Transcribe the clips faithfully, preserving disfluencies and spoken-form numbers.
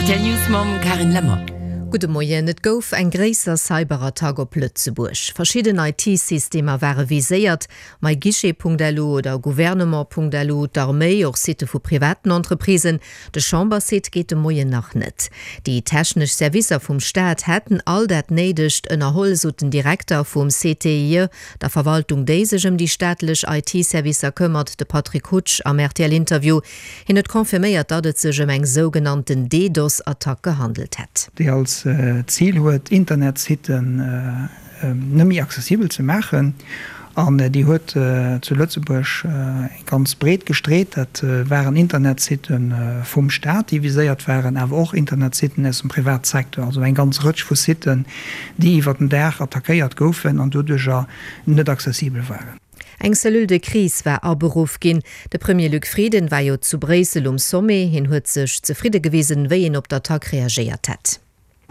Rtl News mam Carine Lemmer. Gudde Moien, Et gouf eng gréisser Cyberattack op Lëtzebuerg. Verschidden I T-Systemer ware viséiert, myguichet Punkt L U oder gouvernement Punkt L U, d'Arméi, och Sitte vu privaten Entreprisen. De Chambersite geet de Moien nach net. Déi technesch Servicer vum Staat hätten all dat Néidegt ënnerholl, sot den Direkter vum C T I E, der Verwaltung, déi sech ëm déi staatlech I T-Servicer këmmert, de Patrick Hutsch am R T L-Interview. Hien huet confirméiert, datt et sech ëm eng sougenannten DDoS-Attack gehandelt hätt. Déi als Zil huet, Internetsitten net méi accessibel ze maachen, an déi huet zu Lëtzebuerg ganz breet gestreet. Dat waren Internetsitte vum Staat, déi viséiert waren, awer och Internetsitten aus dem Privatsecteur, also eng ganz Rëtsch vu Sitten, déi iwwer den Dag attackéiert goufen an doduercher net accessibel waren. Eng Cellule de crise war aberuff ginn. De Premier Luc Frieden war jo zu Bréissel um Sommet, hien huet sech zefridde gewisen, wéi een op d'Attack reagéiert hätt.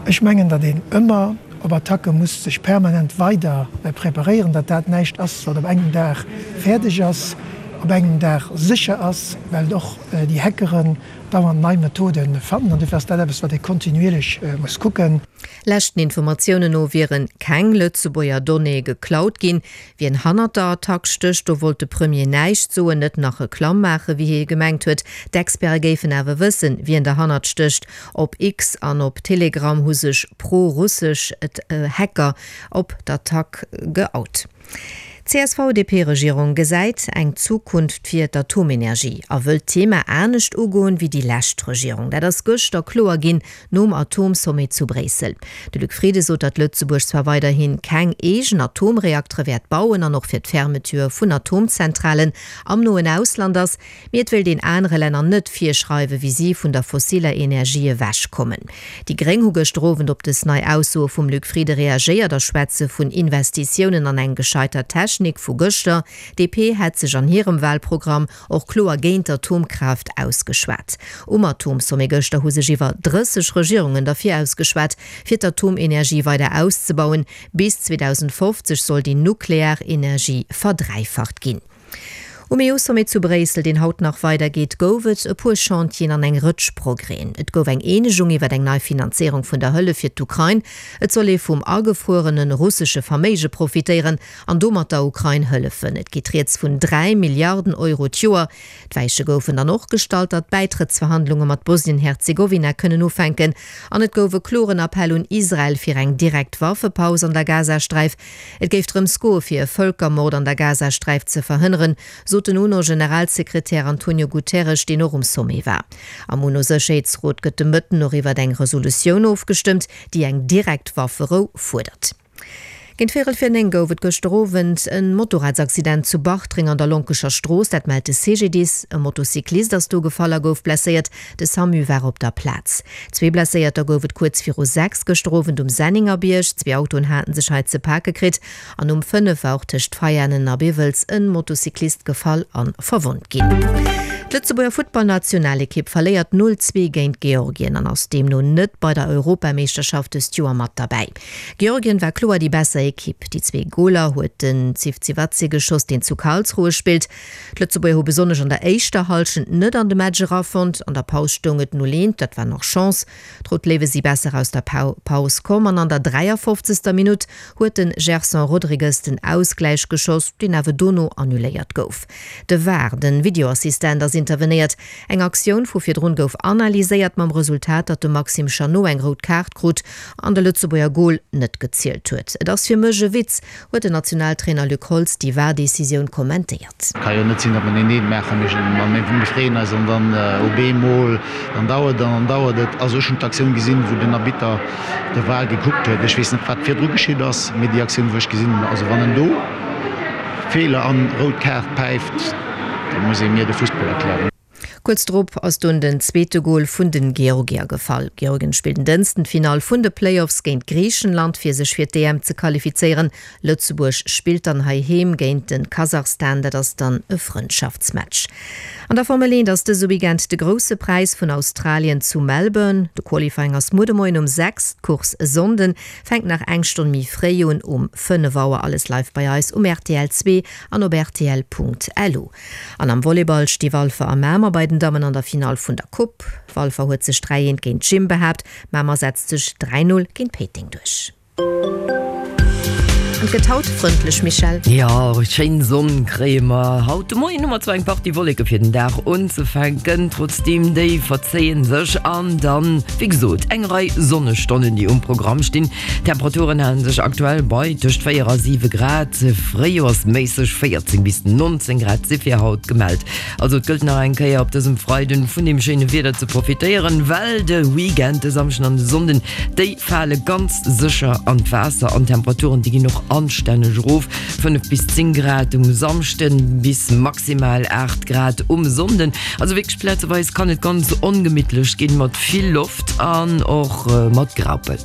Ech mengen, datt een ëmmer op Attacke muss sech permanent weider preparéieren, datt dat näischt ass, wat op engem Dag fäerdeg ass, op engem Dag sécher ass, well och déi Hackeren dauernd nei Methode fannen, an dofir ass dat eppes, wat ee kontinuierlech muss kucken. Leschten Informatiounen no wiere keng Lëtzebuerger Donnéeë geklaut ginn. Wien hannert der Attack stécht, do wollt de Premier näischt soen, net nach Reklamm maachen, wéi hie gemengt huet. D'Experte géifen awer wëssen, wien derhannert stécht. Op X an op Telegram hu sech pro-russesch Hacker op d'Attack geout. D C S V D P-Regierung gesäit eng Zukunft fir d'Atomenergie a wëllt d'Thema anescht ugoen wéi déi lescht Regierung. Dat ass gëschter kloer ginn nom Atomsommet zu Bréissel. De Luc Frieden sot, datt Lëtzebuerg zwar weiderhi keng eegen Atomreaktere wäert bauen an och fir d'Fermeture vun Atomzentralen am noen Ausland ass, mee et wéilt een anere Länner net virschreiwen, wéi si vun der fossiller Energie ewechkommen. Déi Gréng hu gëschter Owend op dës nei Aussoe vum Luc Frieden reagéiert a schwätze vun Investitiounen an eng gescheitert Technik vu gëschter. D P hätt sech an hirem Walprogramm och kloer géint Atomkraaft ausgeschwat. Um Atomsommet gëschter hu sech iwwer drësseg Regierungen derfir ausgeschwat, fir d'Atomenergie weider auszebauen. Bis zweedausendfofzeg soll déi nuklear Energie verdräifacht ginn. Um E U-Sommet zu Bréissel, deen haut nach weidergeet, gouf et e puer Chantieren an eng Rëtsch Progrèsen. Et gouf eng Eenegung iwwer eng nei Finanzéierung vun der Hëllef fir d'Ukrain. Et soll ee vum agefruerene russesche Verméige profitéieren an domat der Ukrain hëllefen. Et geet rieds vun dräi Milliarden Euro d'Joer. D'Weiche goufen dann och gestallt, datt Bäitrëttsverhandlunge mat Bosnien-Herzegowina kënnen ufänken. An et gouf e kloren Appell un Israel fir eng direkt Waffepaus an der Gazasträif. Et géif drëms goe fir e Vëlkermord an der Gazasträif ze verhënneren, sot den UNO-Generalsekretär Antonio Guterres, deen och um Sommet war. Am UNO-Sécherheetsrot gëtt de Mëtten och iwwer eng Resolutioun ofgestëmmt, déi eng direkt Wafferou fuerdert. Géint véierel vir néng gouf et gëschter Owend e Motorradsaccident zu Bartreng an der Lonkescher Strooss, dat mellt de C G D I S. E Motocyclist ass do gefall a gouf blesséiert. De SAMU war op der Plaz. Zwee Blesséierter gouf et kuerz viru sechs gëschter Owend um Sennengerbierg. Zwee Autoen hate sech hei ze pake kritt. An um fënnef war och tëscht Veianen a Biwels e Motocyclist gefall a verwonnt ginn. D'Lëtzebuerger Futtballnationalekipp verléiert null zwee géint Georgien an ass deemno net bei der Europameeschterschaft dëst Joer mat derbäi. Georgien war kloer déi besser Ekipp. Déi zwee Goler huet den Zivzivadze geschoss, deen zu Karlsruhe spillt. D'Lëtzebuerger hu besonnesch an der éischter Hallschent net an de Match erafonnt. An der Paus stoung et null eent, dat war nach Chance. D'Rout Léiwe si besser aus der Paus komm an an der dräiafofzegster Minutt huet de Gerson Rodrigues den Ausgläich geschoss, deen awer dono annuléiert gouf. De VAR, den Videoassistent, ass intervenéiert. Eng Aktioun vu virdrun gouf analyséiert, mam Resultat, datt de Maxime Chanot eng rout Kaart krut an de Lëtzebuerger Gol net gezielt huet. Et ass fir mech e Witz, huet den Nationaltrainer Luc Holtz déi VAR-Decisioun kommentéiert. Ka jo net sinn, datt mer een Eent maachen, mir freeën eis an dann op eemol, dann dauert et an dann dauert et. Also ech hunn d'Aktioun gesinn, wou den Arbitter de VAR gekuckt huet. Ech weess net, wat virdru geschitt ass, mee déi Aktioun, wou ech gesinn hunn, also wann en do Feeler an rout Kaart päift, da muss ee mir de Fussball erklären. Kuerz drop ass dunn den zweete Gol vun den Georgier gefall. Georgien spillt en Dënschden d'Finall vun de Playoffs géint Griichenland, fir sech fir d'E M ze qualifizéieren. Lëtzebuerg spillt dann heiheem géint de Kasachstan, dat ass dann e Frëndschaftsmatch. An der Formel eent ass dëse Weekend de Grousse Präis vun Australien zu Melbourne. De Qualifying ass muer de Moien um sechs, d'Course e Sonnden fänkt nach eng Stonn méi fréi un, um fënnef Auer. Alles live bei eis um R T L zwee an op R T L Punkt L U. An am Volleyball sti Walfer a Mamer bei den den Dammen an der Finall vun der Coupe. Walfer huet sech dräi eent géint Gym behaapt, Mamer setzt sech dräi null géint Péiteng duerch. An et gëtt haut frëndlech, Michèle. Jo, schéin Sonn kréie mer haut de Moien. Hu mer zwar eng Partie Wolleke fir den Dag unzefänken, trotzdeem déi verzéien sech an dann, wéi gesot, eng Rei Sonnestonnen déi um Programm stinn. D'Temperaturen halen sech aktuell bei tëscht véier a siwe Grad, fréijoersméisseg véierzéng bis nonzéng Grad si fir haut gemellt. Also et gëllt nach eng Kéier op dësem Freiden vun deem schéine Wieder ze profitéieren, well de Weekend, de Samschden an de Sonnden, déi fale ganz sécher an d'Waasser an d'Temperaturen déi ginn och anstänneg erof, fënnef bis zéng Grad um Samschden, bis maximal aacht Grad um Sonnden. Also wierklech plazeweis kann et ganz ongemittlech ginn, mat vill Loft an och mat Graupel.